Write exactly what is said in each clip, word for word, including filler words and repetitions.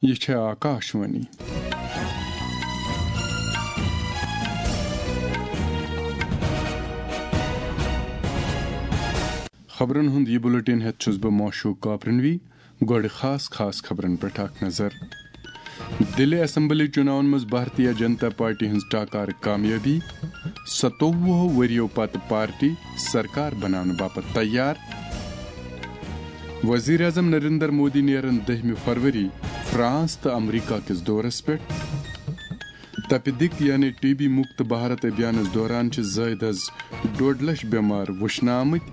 یہِ چھےٚ آکاشوانی۔ خبرن ہُنٛد یہِ بُلٹن ہٮ۪تھ چھُس بہٕ موشوق کاپرنوی۔ گۄڈٕ خاص خاص خبرن پٮ۪ٹھ اکھ نظر۔ دِلہِ اسمبلی چُناون منٛز بھارتیہ جنتا پارٹی ہٕنٛز ٹاکار کامیٲبی۔ ستووُہ ؤرِیو پتہٕ پارٹی سرکار بناونہٕ باپتھ تیار۔ وزیر اعظم نریندر مودی نیرن دٔہمہِ فروری فرانس تہٕ امریکہ کِس دورس پٮ۪ٹھ۔ تپہِ دِق یعنی ٹی بی مُکت بھارت ابھیانس دوران چھِ زٲیدٕ از ڈۄڈ لچھ بٮ۪مار وٕچھنہٕ آمٕتۍ۔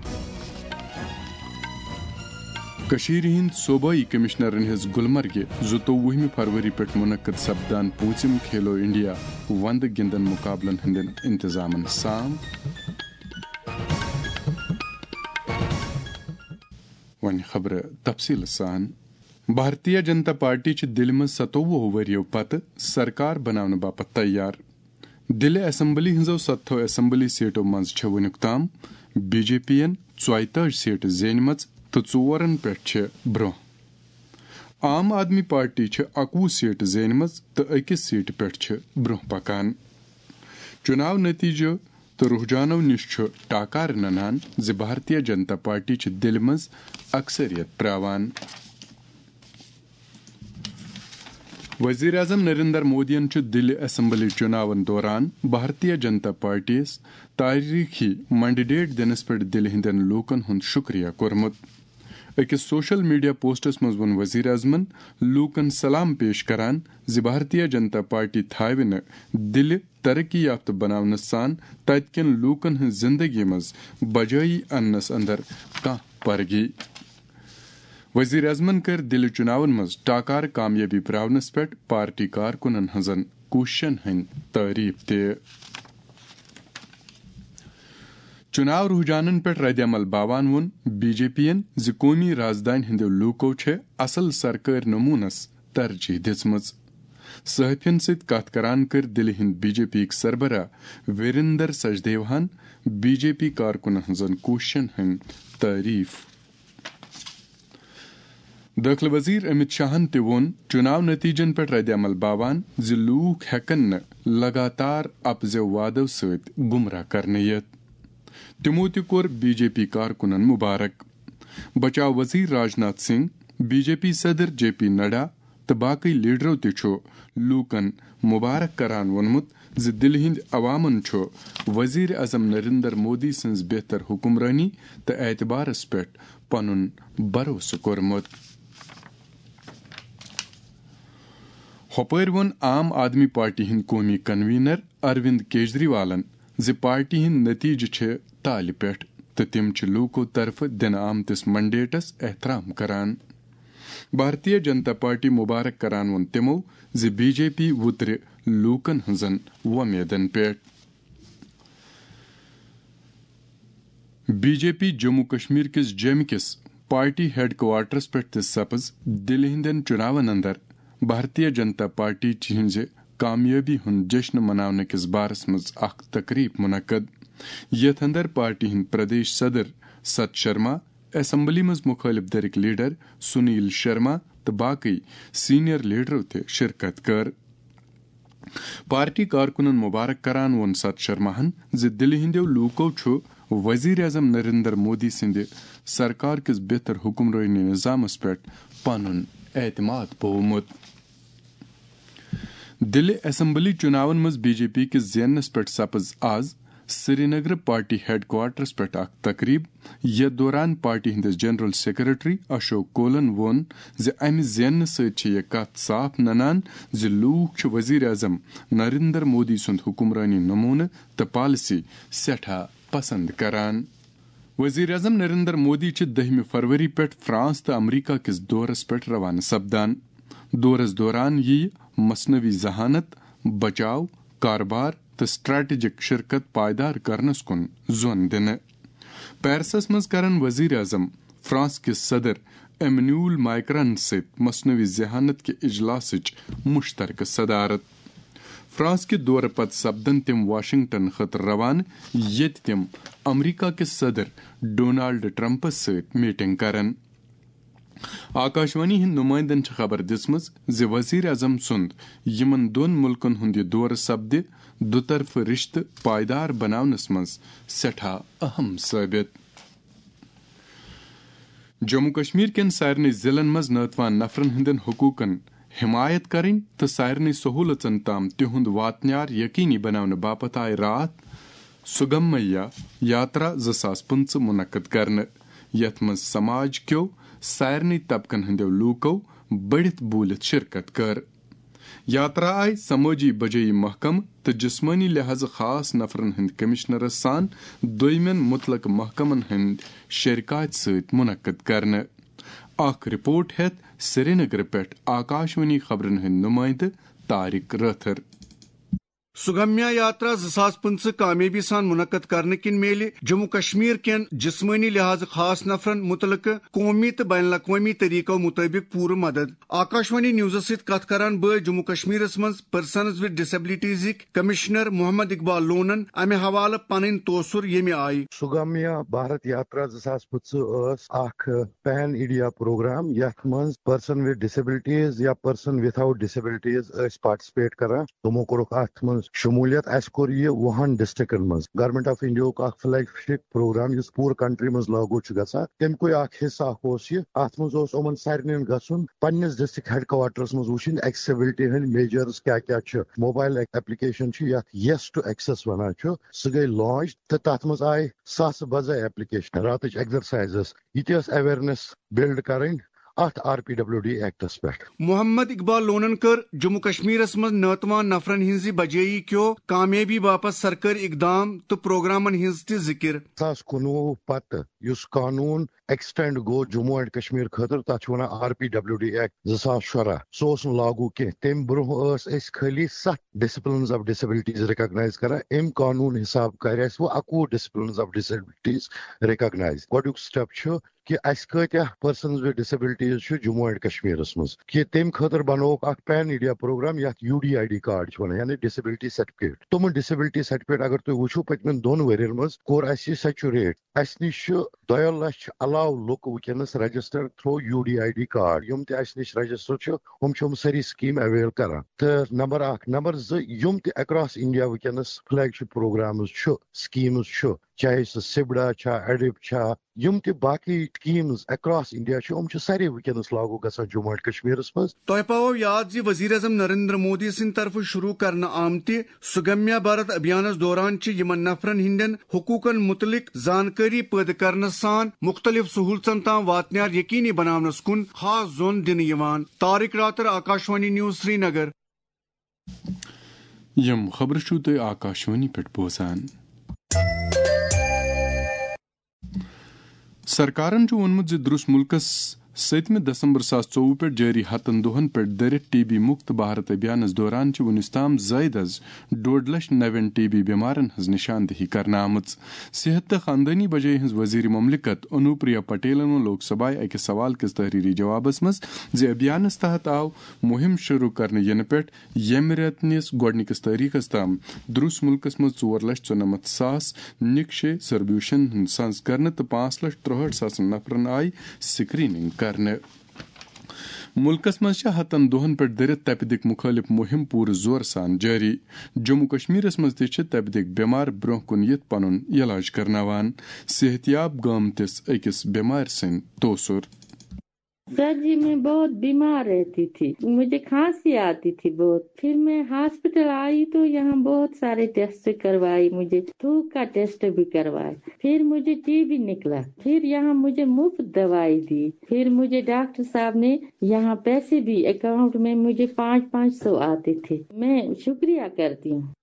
کٔشیٖرِ ہٕنٛدۍ صوبٲئی کمشنرن ہیٚژ گلمرگہِ زٕتووُہمہِ فروری پٮ۪ٹھ منعقد سپدان پوٗنٛژِم کھیلو انڈیا وندٕ گِنٛدن مُقابلن ہٕنٛدٮ۪ن انتظامن سام۔ وۄنۍ خبرٕ تفصیٖلہٕ سان۔ بھارتیہ جنتا پارٹی چھِ دِلہِ منٛز ستووُہ ؤرِیو پتہٕ سرکار بناونہٕ باپتھ تیار۔ دِلہِ اسمبلی ہٕنٛزو ستتھو اسمبلی سیٹو منٛز چھِ وُنیُک تام بی جے پی ین ژۄیہِ تٲجۍ سیٹہٕ زینِمژٕ تہٕ ژورن پٮ۪ٹھ چھِ برٛونٛہہ۔ عام آدمی پارٹی چھِ اَکوُہ سیٹہٕ زینِمژٕ تہٕ أکِس سیٹہِ پٮ۪ٹھ چھِ برٛونٛہہ پکان۔ چُناو نتیجو تہٕ رجحانو نِش چھُ ٹاکار ننان زِ بھارتیہ جنتا پارٹی چھِ دِلہِ منٛز اکثریت پراوان۔ وزیر اعظم نریندر مودیَن چھُ دِلہِ اسمبلی چُناون دوران بھارتیہ جنتا پارٹی یَس تٲریخی مینڈیٹ دِنس پٮ۪ٹھ دِلہِ ہٕنٛدٮ۪ن لوٗکن ہُنٛد شُکریہ کوٚرمُت۔ أکِس سوشل میڈیا پوسٹس منٛز ووٚن وزیر اعظمن لوٗکن سلام پیش کران زِ بھارتیہ جنتا پارٹی تھاوِ نہٕ دِلہِ ترقی یافتہٕ بناونس سان تتہِ کٮ۪ن لوٗکن ہٕنٛز زندگی منٛز بجٲیی اننس اندر کانٛہہ پرگی۔ وزیر اعظمن کٔر دِلہِ چُناون منٛز ٹاکار کامیٲبی پراونس پٮ۪ٹھ پارٹی کارکُنن ہٕنٛزن کوٗششن ہٕنٛدۍ تعریف تہِ۔ چُناو رجحانن پٮ۪ٹھ رد عمل باوان ووٚن بی جے پی ین زِ قومی رازدانہِ ہٕنٛدیو لوٗکو چھےٚ اصل سرکٲرۍ نموٗنس ترجیح دِژمٕژ۔ صحافین سۭتۍ کتھ کران کٔر دِلہِ ہٕنٛدۍ بی جے پی یِکۍ سربراہ ویریندر سچدیوہن بی جے پی کارکُنن ہٕنٛزن کوٗششن ہٕنٛدۍ تعریف۔ دٲخلہٕ وزیر امت شاہن تہِ ووٚن چُناو نتیجن پٮ۪ٹھ رد عمل باوان زِ لوٗکھ ہٮ۪کن نہٕ لگاتار اپزیو وعدو سۭتۍ گمراہ کرنہٕ یِتھ۔ تِمو تہِ کوٚر بی جے پی کارکُنن مبارک۔ بچاو وزیر Rajnath Singh, B J P صدر جے پی نڈا تہٕ باقٕے لیڈرو تہِ چھُ لوٗکن مبارک کران ووٚنمُت زِ دِلہِ ہٕنٛدۍ عوامن چھُ وزیر اعظم نریندر مودی سٕنٛز بہتر حکمرٲنی تہٕ اعتبارس پٮ۪ٹھ پنُن بھروسہٕ کوٚرمُت۔ ہۄپٲرۍ ووٚن عام آدمی پارٹی ہٕنٛدۍ قومی کنوینر اروند کیجریوالن زِ پارٹی ہٕنٛدۍ نتیجہٕ چھِ تالہِ پٮ۪ٹھ تہٕ تِم چھِ لوٗکو طرفہٕ دِنہٕ آمتِس مینڈیٹس احترام کران۔ بھارتیہ جنتا پارٹی مبارک کران ووٚن تِمو زِ بی جے پی وُترِ لوٗکن ہٕنٛزن وۄمیدن پٮ۪ٹھ۔ B J P Jammu Kashmir کِس جیمہِ کِس پارٹی ہیڈ کوارٹرس پٮ۪ٹھ تہِ سپٕز دِلہِ ہٕنٛدٮ۪ن چُناون اندر بھارتیہ جنتا پارٹی ہٕنٛزِ کامیٲبی ہُنٛد جشن مناونہٕ کِس بارس منٛز اکھ تقریب منعقد، یتھ اندر پارٹی ہٕنٛدۍ پردیش صدر ست شرما، اسمبلی منٛز مخٲلف دھرٕکۍ لیڈر سنیل شرما تہٕ باقٕے سینئر لیڈرو تہِ شرکت کٔر۔ پارٹی کارکُنن مبارک کران ووٚن ست شرماہن زِ دِلہِ ہٕنٛدیو لوٗکو چھُ وزیر اعظم نریندر مودی سٕنٛدِ سرکار کِس بہتر حکمرٲنی نظامس پٮ۪ٹھ پنُن اعتماد پوومُت۔ دِلہِ اسمبلی چُناون منٛز بی جے پی کِس زیننس پٮ۪ٹھ سپٕز از سرینگرٕ پارٹی ہیڈ کوارٹرس پٮ۪ٹھ اکھ تقریب، یتھ دوران پارٹی ہٕنٛدِس جنرل سیکرٹری اشوک کولن ووٚن زِ امہِ زیننہٕ سۭتۍ چھِ یہِ کتھ صاف ننان زِ لوٗکھ چھِ وزیر اعظم نریندر مودی سُنٛد حکمرٲنی نموٗنہٕ تہٕ پالیسی سٮ۪ٹھاہ پسند کران۔ وزیر اعظم نریندر مودی چھِ دٔہمہِ فروری پٮ۪ٹھ فرانس تہٕ امریکہ کِس دورس پٮ۪ٹھ روانہٕ سپدان۔ دورس دوران یِیہِ مصنوعی ذہانت، بچاو، کاربار تہٕ سٹریٹجک شرکت پائیدار کرنس کُن زون دِنہٕ۔ پیرسس منٛز کرن وزیر اعظم فرانس کِس صدر ایمنیول مائیکرن سۭتۍ مصنوعی ذہانت کہِ اجلاسٕچ مشترکہٕ صدارت۔ فرانس کہِ دورٕ پتہٕ سپدن تِم واشنگٹن خٲطرٕ روانہٕ، ییٚتہِ تِم امریکہ کِس صدر ڈونالڈ ٹرمپس سۭتۍ میٹنگ کرن۔ آکاشوانی ہٕنٛدۍ نُمٲیندن چھِ خبر دِژمٕژ زِ وزیر اعظم سُنٛد یِمن دۄن مُلکن ہُنٛد یہِ دورٕ سپدِ دُطرفہٕ رشتہٕ پائیدار بناونس منٛز سٮ۪ٹھاہ اہم ثٲبت۔ جموں کشمیر کٮ۪ن سارنٕے ضلعن منٛز ناتوان نفرن ہٕنٛدٮ۪ن حقوٗقن حمایت کرٕنۍ تہٕ سارنٕے سہولژن تام تِہُنٛد واتنیار یقینی بناونہٕ باپتھ آیہِ راتھ سُگمیا یاترا زٕ ساس پٕنٛژٕہ منعقد کرنہٕ، یتھ منٛز سماج کیو سارنٕے طبقن ہٕنٛدیو لوٗکو بٔڑِتھ بوٗلِتھ شرکت کٔر۔ یاترا آیہِ سمٲجی بجٲیی محکمہٕ تہٕ جسمٲنی لحاظہٕ خاص نفرن ہٕنٛدۍ کمشنرس سان دوٚیمٮ۪ن مُتلقہٕ محکمن ہٕنٛدۍ شرکاتۍ سۭتۍ منعقد کرنہٕ۔ اکھ رپورٹ ہٮ۪تھ سرینگرٕ پٮ۪ٹھ آکاشوانی خبرن ہٕنٛدۍ نُمٲیندٕ طارق رٲتھر۔ سُگمیا یاترا زٕ ساس پٕنٛژٕہ کامیٲبی سان منعقد کرنہٕ کِنۍ میلہِ جموں کشمیر کٮ۪ن جسمٲنی لحاظہٕ خاص نفرن مُتعلقہٕ قومی تہٕ بین الاقوٲمی طریقو مُطٲبِق پوٗرٕ مدد۔ آکاشوانی نیوزس سۭتۍ کتھ کران بٲے جموں کشمیرس منٛز پرسنز وِد ڈسیبلٹیزٕکۍ کمشنر محمد اقبال لونن امہِ حوالہٕ پنٕنۍ توثر ییٚمہِ آیہِ۔ سُگمیا بھارت یاترا زٕ ساس پٕنٛژٕہ ٲس اکھ پین انڈیا پروگرام، یتھ منٛز پرسن وِد ڈسیبلٹیز یا پرسن وِتھ آؤٹ ڈسیبلٹیز ٲسۍ پارٹیسپیٹ کران۔ تِمو کوٚرُکھ اتھ منٛز شمولیت۔ اسہِ کوٚر یہِ وُہن ڈسٹرکٹن منٛز۔ گورنمنٹ آف انڈیا ہُک اکھ فلیگ شپ پروگرام، یُس پوٗرٕ کنٹری منٛز لاگو چھُ گژھان، تمہِ کُے اکھ حصہٕ اکھ اوس یہِ۔ اتھ منٛز اوس یِمن سارنٕے گژھُن پننِس ڈسٹرکٹ ہیڈ کوارٹرس منٛز وٕچھِنۍ ایکسیسبلٹی ہٕنٛدۍ میجرز کیاہ کیاہ چھِ۔ موبائل ایپلیکیشن چھِ، یتھ یس ٹو ایکسس ونان چھِ، سُہ گٔے لانچ تہٕ تتھ منٛز آیہِ ساسہٕ بجے ایپلیکیشن، راتٕچ ایکسرسائزز، یہِ تہِ ٲس اویئرنیس بلڈ کرٕنۍ اتھ آر پی ڈبلیو ڈی ایکٹس پٮ۪ٹھ۔ محمد اقبال لونن کٔر جموں کشمیرس منٛز ناتوان نفرن ہٕنٛزِ بجٲیی کیو کامیٲبی باپتھ سرکٲرۍ اقدام تہٕ پروگرامن ہٕنٛز تہِ ذکر۔ زٕ ساس کُنوُہ پتہٕ یُس قانون ایکسٹینڈ گوٚو جموں اینڈ کشمیر خٲطرٕ، تتھ چھِ ونان R P W D act زٕ ساس شُراہ، سُہ اوس نہٕ لاگو کینٛہہ۔ تمہِ برونٛہہ ٲس أسۍ خٲلی ستھ ڈسپلنز آف ڈسیبلٹیز ریکگنائز کران۔ امہِ قانون حساب کرِ اسہِ وۄنۍ اَکوُہ ڈسپلنز آف ڈسیبلٹیز ریکگنائز۔ گۄڈنیُک سٹیپ چھُ کہِ اسہِ کۭتیاہ پرسنز وِد ڈسیبلٹیز چھُ جموں اینڈ کشمیرس منٛز، کہِ تمہِ خٲطرٕ بنووُکھ اکھ پین انڈیا پروگرام، یتھ U D I D card چھِ ونان، یعنی ڈسیبلٹی سرٹیفکیٹ۔ تِمن ڈسیبلٹی سرٹیفکیٹ اگر تُہۍ وٕچھِو، پٔتمٮ۪ن دۄن ؤرین منٛز کوٚر اسہِ یہِ سیچوریٹ۔ اسہِ نِش چھِ دۄیو لچھ علاوٕ لُکھ وٕنکیٚنس register through U D I D card. یِم تہِ اسہِ نِش رجسٹر چھِ، یِم چھِ یِم سٲری سکیٖم اویل کران۔ تہٕ نمبر اکھ۔ نمبر زٕ، یِم تہِ اکراس انڈیا وٕنکیٚنس فلیگ شپ پروگرامز چھِ، سکیٖمز چھِ، چاہے سُہ سبڑا چھا، ایڈپ چھا، یِم تہِ باقی سکیٖمز اکراس انڈیا چھِ، یِم چھِ سارے وٕنکیٚنس لاگو گژھان جموں اینڈ کشمیرس منٛز۔ تۄہہِ پاوو یاد زِ وزیر اعظم نریندر مودی سٕنٛدِ طرفہٕ شروع کرنہٕ آمتہِ سُگمیا بھارت ابھیانس دوران چھِ یِمن نفرن ہٕنٛدٮ۪ن حقوٗقن مُتعلق زانکٲری پٲدٕ کرنس سان مُختٔلِف سہوٗلژن تام واتنیار یقینی بناونس کُن خاص زون دِنہٕ یِوان۔ طارق راتر، آکاشوانی نیوز، سرینگر۔ یِم خبرٕ چھِو تُہۍ آکاشوانی پٮ۪ٹھ بوزان۔ سرکارن چھُ ووٚنمُت زِ درٛس مُلکَس سٔتمہِ دسمبر زٕ ساس ژوٚوُہ پٮ۪ٹھ جٲری ہَتَن دۄہَن پٮ۪ٹھ دٔرِتھ ٹی بی مُکت بھارت ابھیانَس دوران چھِ وُنیُس تام زٲیِد از ڈوڈ لچھ نَوٮ۪ن ٹی بی بٮ۪مارَن ہٕنٛز نِشاندہی کرنہٕ آمٕژ۔ صحت تہٕ خاندٲنی بجٲے ہٕنٛز وزیر مملکت انوپریا پٹیلن ووٚن لوک سبھایہ أکِس سوال کِس تحریری جوابس منٛز زِ ابھیانَس تحت آو مُہِم شروع کرنہٕ یِنہٕ پٮ۪ٹھ ییٚمہِ رٮ۪تہٕ نِس گۄڈٕنِکِس تٲریخس تام درٛس مُلکَس منٛز ژور لچھ ژُنَمَتھ ساس نِکشے سربیوشن ہُنٛد سنز کرنہٕ تہٕ پانٛژھ لچھ ترٛوہٲٹھ ساسَن نفرَن آیہِ سکریننگ کرنہٕ۔ مُلکَس منٛز چھِ ہَتَن دۄہَن پٮ۪ٹھ دٔرِتھ تپہِ دِق مُخٲلِف مُہِم پوٗرٕ زورٕ سان جٲری۔ جموں کشمیرَس منٛز تہِ چھِ تپہِ دِق بٮ۪مار برٛونٛہہ کُن یِتھ پنُن علاج کرناوان۔ صحت یاب گامتِس أکِس بٮ۪مارِ سٕنٛدۍ توسُر۔ सर जी, मैं बहुत बीमार रहती थी, मुझे खांसी आती थी बहुत। फिर मैं हॉस्पिटल आई तो यहाँ बहुत सारे टेस्ट करवाए मुझे, थूक का टेस्ट भी करवाए, फिर मुझे टीबी निकला, फिर यहाँ मुझे मुफ्त दवाई दी। फिर मुझे डॉक्टर साहब ने यहाँ पैसे भी अकाउंट में मुझे पाँच पाँच सौ आते थे। मैं शुक्रिया करती हूँ।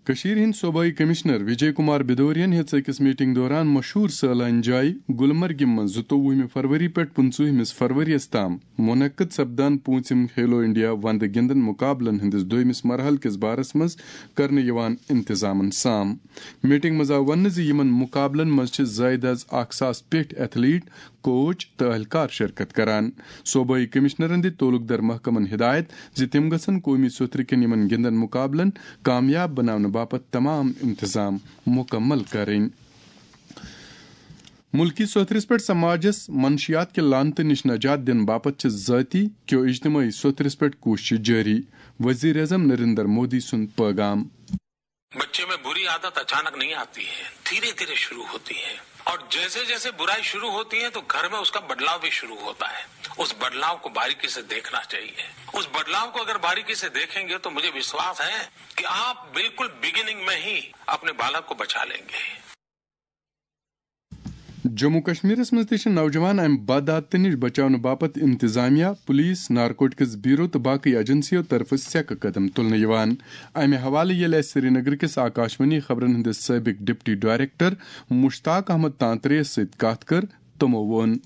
کٔشیٖرِ ہٕنٛدۍ صوبٲئی کمشنر وجے کمار بدورین ہیٚژ أکِس میٹنگ دوران مشہوٗر سٲلٲنۍ جایہِ گلمرگہِ منٛز زٕتووُہمہِ فروری پٮ۪ٹھ پٕنٛژٕہمِس فروریَس تام منعقد سپدان پوٗنٛژِم کھیلو انڈیا وندٕ گِنٛدن مقابلن ہٕنٛدِس دوٚیمِس مرحلہٕ کِس بارس منٛز کرنہٕ یِوان انتظامن سام۔ میٹنگ منٛز آو وننہٕ زِ یِمن مقابلن منٛز چھِ زٲیِد از اکھ ساس پیٚٹھۍ ایتھلیٹ، کوچ تہٕ اہلکار شرکت کران۔ صوبٲئی کمشنرن دِتۍ تعلق دار محکمن ہدایت زِ تِم گژھن قومی سوٚتھرٕ کٮ۪ن یِمن گِنٛدن مقابلن کامیاب بناونہٕ باپتھ تمام انتظام مکمل کرٕنۍ۔ ملکی سوتھرس پٮ۪ٹھ سماجس منشیات کہِ لعنتہٕ نِش نجات دِنہٕ باپتھ چھِ ذٲتی کیو اجتماعی سوتھرس پٮ۪ٹھ کوٗششہٕ جٲری، وزیر اعظم نریندر مودی سُنٛد پیغام۔ बच्चे में बुरी आदत अचानक नहीं आती है, धीरे धीरे शुरू होती है। और जैसे जैसे बुराई शुरू होती है तो घर में उसका बदलाव भी शुरू होता है। उस बदलाव को बारीकी से देखना चाहिए। उस बदलाव को अगर बारीकी से देखेंगे तो मुझे विश्वास है कि आप बिल्कुल बिगिनिंग में ही अपने बालक को बचा लेंगे। جموں کشمیرس منٛز تہِ چھِ نوجوان امہِ بدعادتہٕ نِش بچاونہٕ باپتھ انتظامیہ، پولیس، نارکوٹکس بیورو تہٕ باقٕے ایجنسیو طرفہٕ سیٚکہٕ قدم تُلنہٕ یِوان۔ امہِ حوالہٕ ییٚلہِ اسہِ سرینگر کِس آکاشوانی خبرن ہٕنٛدِس سٲبق ڈپٹی ڈائریکٹر مشتاق احمد تانترے یَس سۭتۍ کتھ کٔر، تِمو ووٚن۔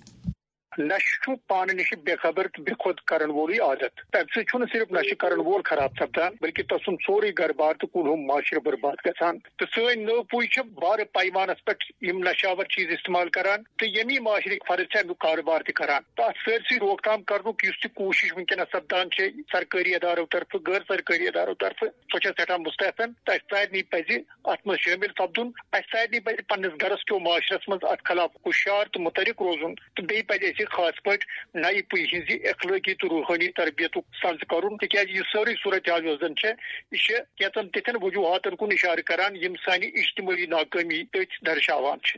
نشہٕ چھُ پانہٕ نِش بے خبر تہٕ بے خود کرن وولُے عادت۔ تَمہِ سۭتۍ چھُنہٕ صرف نشہٕ کرن وول خراب سپدان، بلکہِ تسُنٛد سورُے گرٕ بار تہٕ کُل ہُم معاشرٕ برباد گژھان۔ تہٕ سٲنۍ نٔو پُے چھِ بارٕ پیمانس پٮ۪ٹھ یِم نشاور چیز استعمال کران تہٕ ییٚمی معاشرٕکۍ فرد چھِ امیُک کارٕبار تہِ کران۔ تہٕ اتھ سٲرسٕے روک تھام کرنُک یُس تہِ کوٗشش وٕنکیٚنس سپدان چھِ سرکٲری ادارو طرفہٕ، غٲر سرکٲری ادارو طرفہٕ، سۄ چھےٚ سٮ۪ٹھاہ مستحسن۔ تہٕ اسہِ سارنٕے پزِ اتھ منٛز شٲمِل سپدُن۔ اسہِ سارنٕے پزِ پننِس گرس کیو معاشرس منٛز اتھ خلاف ہُشیار تہٕ متحرک روزُن، تہٕ بیٚیہِ پزِ اسہِ خاص پٲٹھۍ نَیہِ پُیہِ ہٕنٛزِ اخلٲقی تہٕ روحٲنی تربیتُک سنز کرُن، تِکیازِ یہِ سٲرٕے صورتحال یۄس زن چھےٚ، یہِ چھےٚ کینٛژن تِتھٮ۪ن وجوہاتن کُن اشارٕ کران، یِم سانہِ اجتمٲعی ناکٲمی تٔتھۍ درشاوان چھِ۔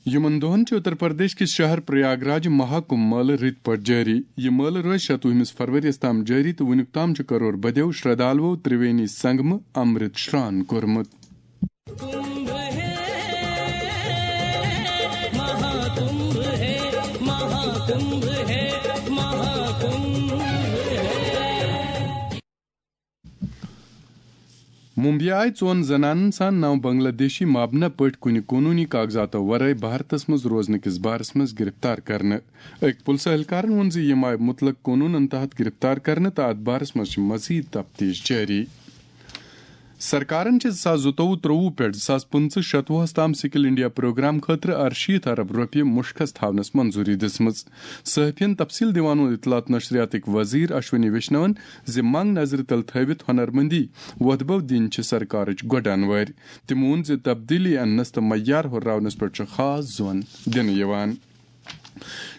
یِمن دۄہن چھُ اتر پردیش کِس شہر پریاگ راج مہا کمبھ مٲلہٕ رٕتۍ پٲٹھۍ جٲری۔ یہِ مٲلہٕ روزِ شتوُہمِس فروریَس تام جٲری تہٕ وُنیُک تام چھُ کرور بدیو شردھالوو ترٛوینی سنگمہٕ امرت شران کوٚرمُت۔ ممبیہِ آیہِ ژۄن زنانن سان نو بنگلہ دیشی مابنہ پٲٹھۍ کُنہِ قونوٗنی کاغذاتو ورٲے بھارتس منٛز روزنہٕ کِس بارس منٛز گرفتار کرنہٕ۔ أکۍ پُلسہٕ اہلکارن ووٚن زِ یِم آیہِ مُطلق قونوٗنن تحت گرفتار کرنہٕ تہٕ اتھ بارس منٛز چھِ مزید تفتیش جٲری۔ سرکارن چھِ زٕ ساس زٕتووُہ ترٛووُہ پٮ۪ٹھ زٕ ساس پٕنٛژٕہ شتوُہس تام سکل انڈیا پروگرام خٲطرٕ ارشیٖتھ ارب رۄپیہِ مُشخص تھاونس منظوٗری دِژمٕژ۔ صحافین تفصیل دِوان ووٚن اطلاعات نشریاتٕکۍ وزیر اشونی ویشنون زِ منگ نظرِ تل تھٲوِتھ ہنرمندی وۄتھبو دِنۍ چھِ سرکارٕچ گۄڈٕ انوٲرۍ۔ تٔمۍ ووٚن زِ تبدیلی اننس تہٕ معیار ہُرراونس پٮ۪ٹھ چھُ خاص زون دِنہٕ یِوان۔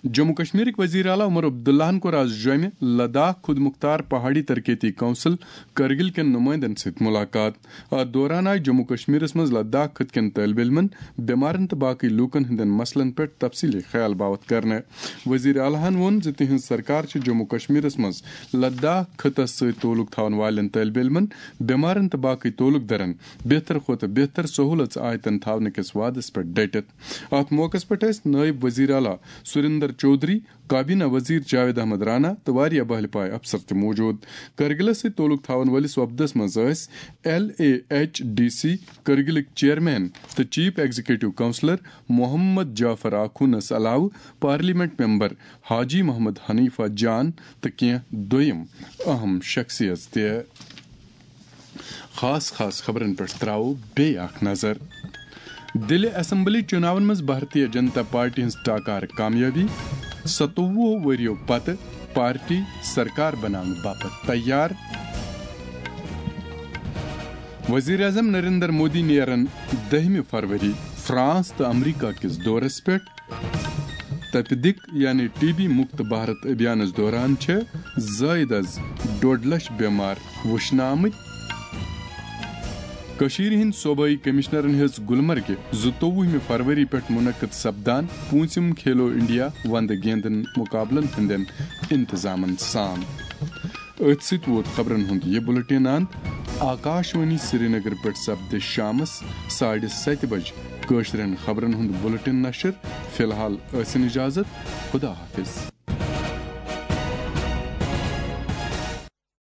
جموں کشمیرٕکۍ وزیر اعلیٰ عمر عبداللہن کوٚر آز جوٚمہِ لداخ خود مختار پہاڑی ترقیتی کونسل کرگل کٮ۪ن نُمٲیندن سۭتۍ مُلاقات۔ اتھ دوران آیہِ جموں کشمیرس منٛز لداخ خطہٕ کٮ۪ن طٲلب علمن، بٮ۪مارن تہٕ باقٕے لوٗکن ہٕنٛدٮ۪ن مسلن پٮ۪ٹھ تفصیلی خیال باوتھ کرنہٕ۔ وزیر اعلیٰ ہن ووٚن زِ تِہنٛز سرکار چھِ جموں کشمیرس منٛز لداخ خطس سۭتۍ تعلق تھاون والٮ۪ن طٲلب علمن، بٮ۪مارن تہٕ باقٕے تعلق دارن بہتر کھۄتہٕ بہتر سہوٗلژ آیتن تھاونہٕ کِس وعدس پٮ۪ٹھ ڈٔٹِتھ۔ اتھ موقعس پٮ۪ٹھ ٲسۍ نٲیِب وزیر اعلیٰ سریندر چودھری، کابینہ وزیر جاوید احمد رانا تہٕ واریاہ بہلہِ پایہِ افسر تہِ موجود۔ کرگلس سۭتۍ تعلق تھاون وٲلِس وفدس منٛز ٲسۍ L A H D C کرگلٕکۍ چیئرمین تہٕ chief executive councillor Mohammad Jaffar آخونس علاوٕ پارلیمنٹ ممبر حاجی محمد حنیفہ جان تہٕ کینٛہہ دوٚیم اہم شخصیژ تہِ۔ خاص خاص خبرن پٮ۪ٹھ تراوو بیٚیہِ اکھ نظر۔ دِلہِ اسمبلی چُناون منٛز بھارتیہ جنتا پارٹی ہٕنٛز ٹاکار کامیٲبی، ستووُہ ؤرِیو پتہٕ پارٹی سرکار بناونہٕ باپتھ تیار۔ وزیر اعظم نریندر مودی نیرن دٔہمہِ فروری فرانس تہٕ امریکہ کِس دورس پٮ۪ٹھ۔ تپدق یعنی ٹی بی مکت بھارت ابھیانس دوران چھِ زٲید از ڈوڈ لچھ بیمار وٕچھنہٕ آمٕتۍ۔ کٔشیٖرِ ہٕنٛدۍ صوبٲئی کمشنرن ہیٚژ گلمرگہِ زٕتووُہمہِ فروری پٮ۪ٹھ منعقد سپدان پوٗنٛژِم کھیلو انڈیا وندٕ گیندن مقابلن ہٕنٛدٮ۪ن انتظامن سام۔ أتھۍ سۭتۍ ووت خبرن ہُنٛد یہِ بُلٹن اند۔ آکاشوانی سرینگر پٮ۪ٹھ سپدِ شامس ساڑِ ستہِ بجہِ کٲشرٮ۪ن خبرن ہُنٛد بُلٹن نشر۔ فی الحال ٲسِن اجازت۔ خدا حافظ۔